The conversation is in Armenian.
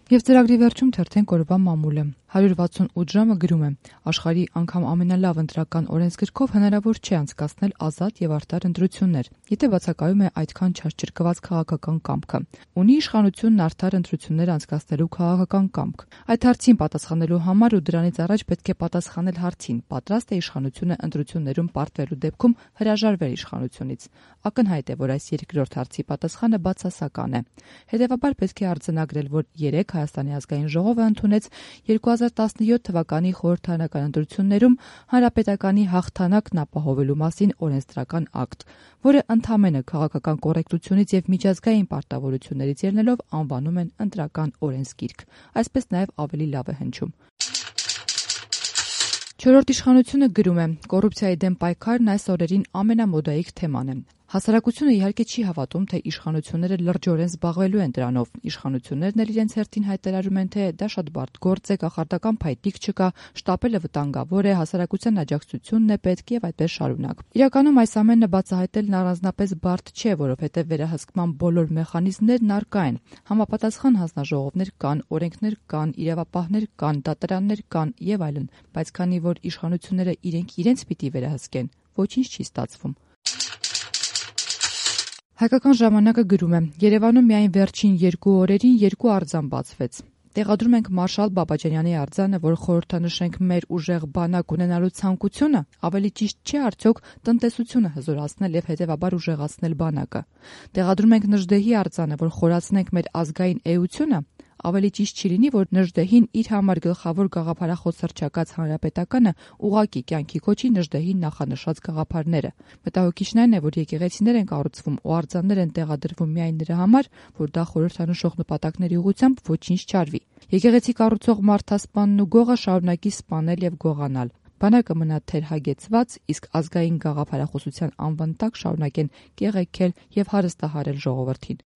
Եվ ծրագրի վերջում թերթենք օրվա մամուլը։ 168 ժամը գրում է. աշխարհի անգամ ամենալավ ընտրական օրենսգրքով հնարավոր չէ անցկացնել ազատ եւ արդար ընտրություններ, եթե բացակայում է այդքան չարչրկված քաղաքական կամքը։ Ունի իշխանությունն արդար ընտրություններ անցկացնելու քաղաքական կամք։ Այդ հարցին պատասխանելու համար ու դրանից առաջ պետք է պատասխանել հարցին՝ պատրաստ է իշխանությունը ընտրություններում պարտվելու դեպքում հրաժարվել իշխանությունից։ Ակնհայտ է, որ այս երկրորդ հարցի պատասխանը բացասական է։ Հետևաբար պետք է արձանագրել, որ երեք Հայաստանի ազգային ժողովը ընդունեց 2017 թվականի խորհրդարանական ընտրություններում հանրապետականի հաղթանակն ապահովելու մասին օրենսդրական ակտ, որը ընդամենը քաղաքական կոռեկտությունից եւ միջազգային պարտավորություններից ելնելով անվանում են ընտրական օրենսգիրք։ Այսպես նաեւ ավելի լավ է հնչում։ Չորրորդ իշխանությունը գրում է. կոռուպցիայի դեմ պայքարն այս օրերին ամենամոդայիկ թեման է։ Հասարակությունը իհարկե չի հավատում, թե իշխանությունները լրջորեն զբաղվելու են դրանով։ Իշխանություններն էլ իրենց հերթին հայտարարում են, թե դա շատ բարդ գործ է, կախարդական փայտիկ չկա, շտապելը վտանգավոր է, հասարակության աջակցությունն է պետք եւ այդպես շարունակ։ Իրականում այս ամենը բացահայտելն առանձնապես բարդ չէ, որովհետեւ վերահսկման բոլոր մեխանիզմներն առկա են։ Համապատասխան հանձնաժողովներ կան, օրենքներ կան, իրավապահներ կան, դատարաններ կան եւ այլն, բայց քանի որ իշխանությունները իրենց պիտի վերահսկեն, ոչինչ չի ստացվում։ Հայկական ժամանակը գրում է. Երևանում միայն վերջին 2 օրերին 2 արձան բացվեց։ Տեղադրում ենք Մարշալ Բաբաջանյանի արձանը, որ խորհրդանշենք մեր ուժեղ բանակ ունենալու ցանկությունը, ավելի ճիշտ չէ արդյոք տնտեսությունը հզորացնել եւ հետեւաբար ուժեղացնել բանակը։ Տեղադրում ենք Նժդեհի արձանը, որ խորացնենք մեր ազգային էությունը, ավելի ճիշտ չի լինի, որ Նժդեհին իր համար գլխավոր գաղափարախոս հռչակած հանրապետականը ուղղակի կյանքի կոչի Նժդեհին նախանշած գաղափարները։ Մտահոգիչն այն է, որ եկեղեցիներ են կառուցվում ու արձաններ են տեղադրվում միայն նրա համար, որ դա խորհրդանշող նպատակների ուղղությամբ ոչինչ չարվի։ Եկեղեցի կառուցող մարդասպանն ու գողը շարունակի սպանել եւ գողանալ։ Բանակը մնա թերհագեցված, իսկ ազգային գաղափարախոսության անվան տակ շարունակեն կեղեքել եւ հարստահարել ժողովրդին։